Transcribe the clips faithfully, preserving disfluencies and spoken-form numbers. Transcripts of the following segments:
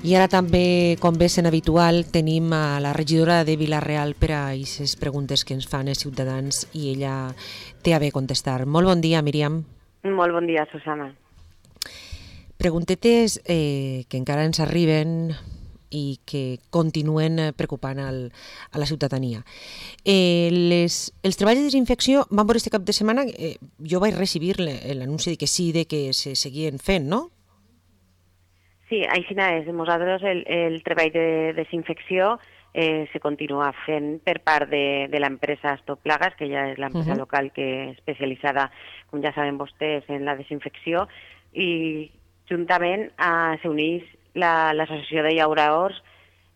I ara també, com bé sent habitual, tenim a la regidora de Vila-real per a aquestes preguntes que ens fan els ciutadans i ella té a bé contestar. Molt bon dia, Míriam. Molt bon dia, Susana. Preguntetes eh, que encara ens arriben i que continuen preocupant al, a la ciutadania. Eh, les, els treballs de desinfecció van per este cap de setmana, eh, jo vaig recibir l'anunci de que sí, de que se seguien fent, no? Sí, així és. Nosaltres el, el treball de desinfecció eh, se continua fent per part de, de l'empresa Stop Plagas, que ja és l'empresa uh-huh. local que és especialitzada, com ja saben vostès, en la desinfecció, i juntament eh, s'uneix l'associació la, de llauradors,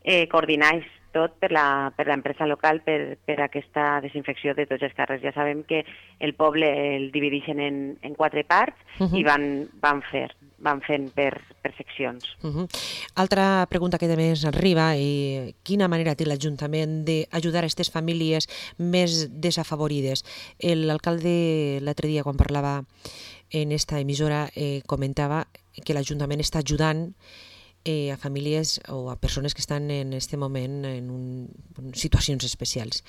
eh, coordinais tot per l'empresa local per, per aquesta desinfecció de tots els carrers. Ja sabem que el poble el divideixen en, en quatre parts uh-huh. i van, van fer van fent per, per seccions. Uh-huh. Altra pregunta que també ens arriba, eh, quina manera té l'Ajuntament d'ajudar a aquestes famílies més desafavorides? L'alcalde l'altre dia, quan parlava en esta emissora, eh, comentava que l'Ajuntament està ajudant eh, a famílies o a persones que estan en aquest moment en, un, en situacions especials.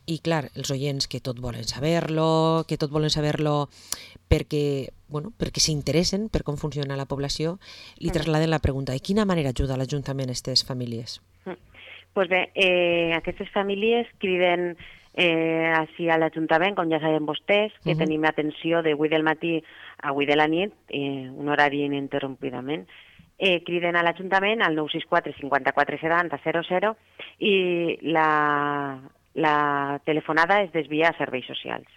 I clar, els oients que tot volen saber-lo, que tot volen saber-lo perquè, bueno, perquè s'interessen per com funciona la població, li trasladen la pregunta: de quina manera ajuda l'Ajuntament a aquestes famílies? Pues bé, eh, aquestes famílies criden eh, així a l'Ajuntament, com ja saben vostès, que uh-huh. tenim atenció de vuit del matí a vuit de la nit, eh, un horari ininterrompidament. Eh, criden a l'Ajuntament al nou sis quatre cinquanta-quatre setanta zero zero i la, la telefonada es desvia a serveis socials,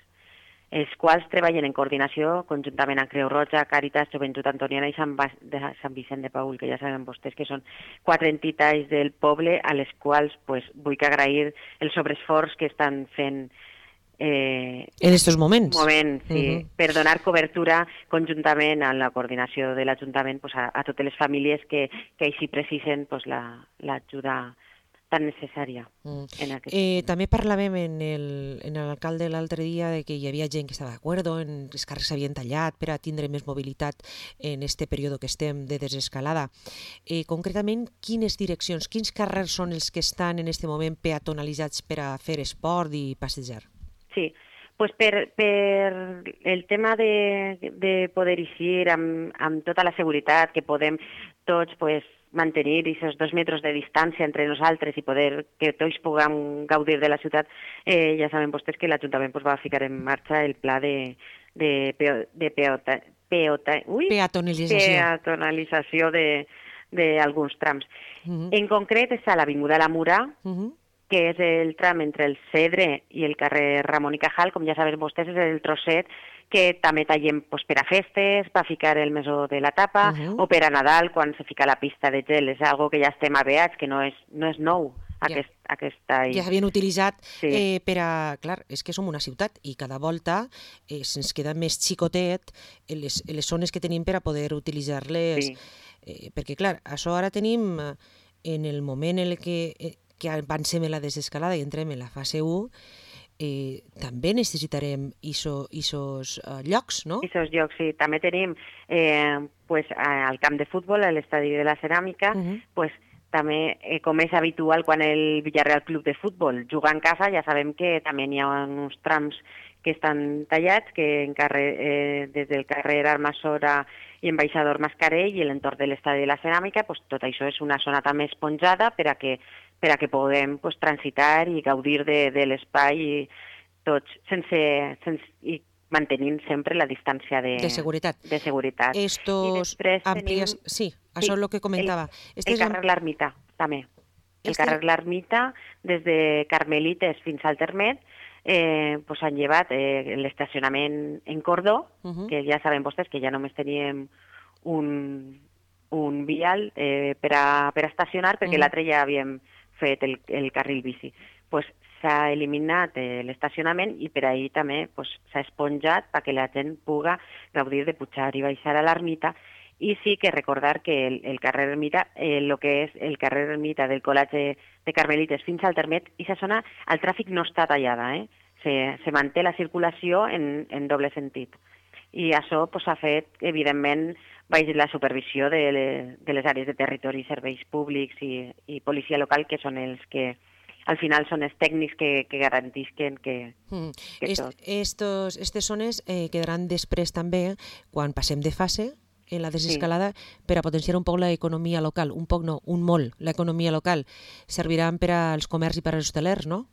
els quals treballen en coordinació conjuntament amb Creu Roja, Càritas, Joventut Antoniana i Sant, ba de Sant Vicent de Paül, que ja saben vostès que són quatre entitats del poble a les quals pues, vull agrair el sobreesforç que estan fent eh, en aquests moments, moments sí, uh-huh. per donar cobertura conjuntament a la coordinació de l'Ajuntament pues, a, a totes les famílies que, que així precisen pues, l'ajuda la, tan necessària. Mm. En aquest eh, també parlàvem en l'alcalde l'altre dia de que hi havia gent que estava d'acord, en els carrers s'havien tallat per a tindre més mobilitat en este període que estem de desescalada. Eh, concretament, quines direccions, quins carrers són els que estan en este moment peatonalitzats per a fer esport i passejar? Sí, pues per, per el tema de, de poder eixir amb, amb tota la seguretat que podem tots pues, mantenir aquests dos metres de distància entre nosaltres i poder que tots puguem gaudir de la ciutat, eh, ja saben vostès que l'Ajuntament pues, va ficar en marxa el pla de, de, peo, de peota, peota, ui, peatonalització, peatonalització d'alguns trams. Uh-huh. En concret és a l'Avinguda La Mura, uh-huh. que és el tram entre el Cedre i el carrer Ramon i Cajal, com ja saben vostès, és el trosset que també tallem pues, per a festes, per ficar el mesó de la tapa, uh-huh. o per a Nadal, quan se fica la pista de gel. És algo que ja estem aveats, que no és, no és nou. Aquest, ja. aquesta... ja s'havien utilitzat sí. eh, per a... Clar, és que som una ciutat i cada volta eh, se'ns queda més xicotet les, les zones que tenim per a poder utilitzar-les. Sí. Eh, perquè, clar, això ara tenim en el moment en el que... Eh, que avancem en la desescalada i entrem en la fase u, eh, també necessitarem aquests uh, llocs, no? Aquests llocs, sí. També tenim eh, pues, al camp de futbol, a l'estadi de la Ceràmica, uh-huh. pues, també, eh, com és habitual quan el Villarreal Club de Futbol juga en casa, ja sabem que també hi ha uns trams que estan tallats, que en carrer, eh, des del carrer Armasora i Ambaixador Mascarell i l'entorn de l'estadi de la Ceràmica, pues, tot això és una zona també esponjada per a que per a que puguem pues, transitar i gaudir de, de l'espai i tots sense, sense i mantenint sempre la distància de, de seguretat. De seguretat. Estos amplias... Sí, això sí, és el que comentava. El, el carrer L'Ermita, també. El este... carrer L'Ermita, des de Carmelites fins al Termet, eh, pues, han llevat eh, l'estacionament en cordó, uh-huh. que ja saben vostès que ja només teníem un, un vial eh, per, a, per a estacionar, perquè uh-huh. l'altre ja havíem fet el, el carril bici. Pues, s'ha eliminat eh, l'estacionament i per ahir també pues, s'ha esponjat perquè la gent puga gaudir de pujar i baixar a l'ermita. I sí que recordar que el, el carrer Ermita, eh, el que és el carrer Ermita del Col·legi de Carmelites fins al Termet, i aquesta zona, el tràfic no està tallada, eh? se, se manté la circulació en, en doble sentit. I això pues, ha fet, evidentment, baix la supervisió de, le, de les àrees de territori, serveis públics i, i policia local, que són els que al final són els tècnics que, que garantisquen que, mm. que Est, tot. Estos, estes zones eh, quedaran després també, quan passem de fase, en la desescalada, sí. per a potenciar un poc l'economia local, un poc no, un molt, l'economia local. Serviran per als comerç i per als hostelers, no?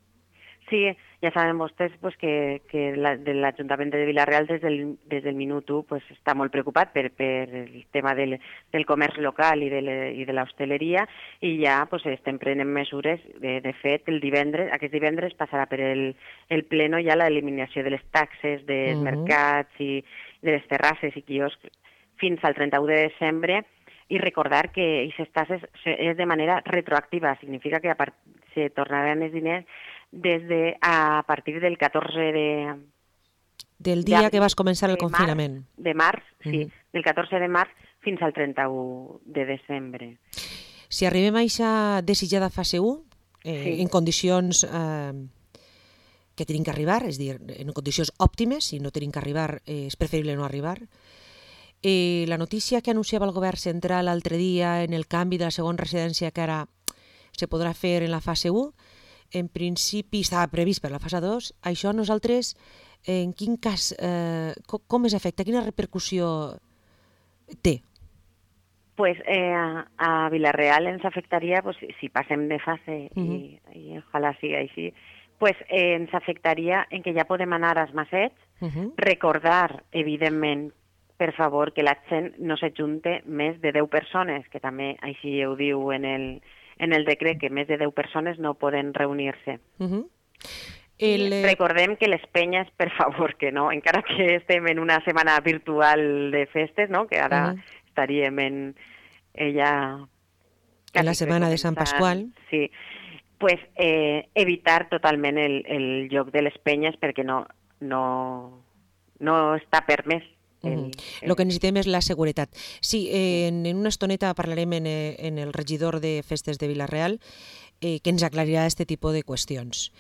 Sí, ja saben vostès pues, que, que la, de l'Ajuntament de Vila-real des del, des del minut u pues, està molt preocupat per, per el tema del, del comerç local i de, le, i de l'hostaleria i ja pues, estem prenent mesures. De, de fet, el divendres, aquest divendres passarà per el, el pleno ja l'eliminació de les taxes dels uh-huh. mercats i de les terrasses i quioscs fins al trenta-u de desembre i recordar que aquestes taxes és de manera retroactiva, significa que a part, se tornaran els diners des de a partir del catorze de... Del dia de, que vas començar el confinament. Març, de març, sí, mm-hmm. del catorze de març fins al trenta-u de desembre. Si arribem a aquesta desitjada fase u, eh, sí. en condicions eh, que tenim que arribar, és a dir, en condicions òptimes, si no tenim que arribar, eh, és preferible no arribar, eh, la notícia que anunciava el govern central l'altre dia en el canvi de la segona residència que ara se podrà fer en la fase u, en principi estava previst per la fase dos, això nosaltres, en quin cas, eh, com, com es afecta? Quina repercussió té? Pues eh, a Vila-real ens afectaria, pues, si passem de fase, uh-huh. i, i ojalà sigui així, pues, eh, ens afectaria en que ja podem anar als massets, uh-huh. recordar, evidentment, per favor, que la gent no s'ajunte més de deu persones, que també així ho diu en el... en el decret que més de deu persones no poden reunir-se. Uh-huh. El... Recordem que les penyes, per favor, que no, encara que estem en una setmana virtual de festes, no? Que ara uh-huh. estaríem en ella... En la setmana de Sant Pasqual. Sí, pues eh, evitar totalment el, el lloc de les penyes perquè no, no, no està permès. El, el... El que necessitem és la seguretat. Sí, eh, en, en una estoneta parlarem en, en el regidor de Festes de Vila-real eh, que ens aclarirà aquest tipus de qüestions.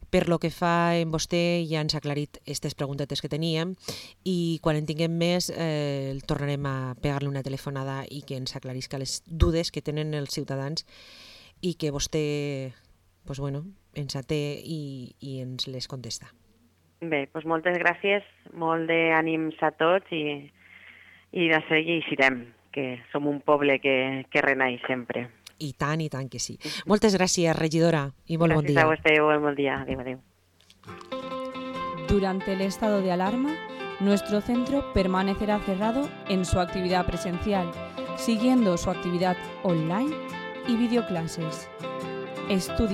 Per lo que fa en vostè ja ens ha aclarit aquestes preguntetes que teníem i quan en tinguem més eh, tornarem a pegar-li una telefonada i que ens aclarisca les dudes que tenen els ciutadans i que vostè pues, bueno, ens até i, i ens les contesta. Bé, doncs moltes gràcies, molt d'ànims a tots i, i de seguir eixirem, que som un poble que, que renaix sempre. I tant, i tant que sí. Moltes gràcies, regidora, i molt gràcies bon dia. Gràcies a vostè, molt bon dia. Adéu, adéu. Durante el estado de alarma, nuestro centro permanecerá cerrado en su actividad presencial, siguiendo su actividad online y videoclases. Estudia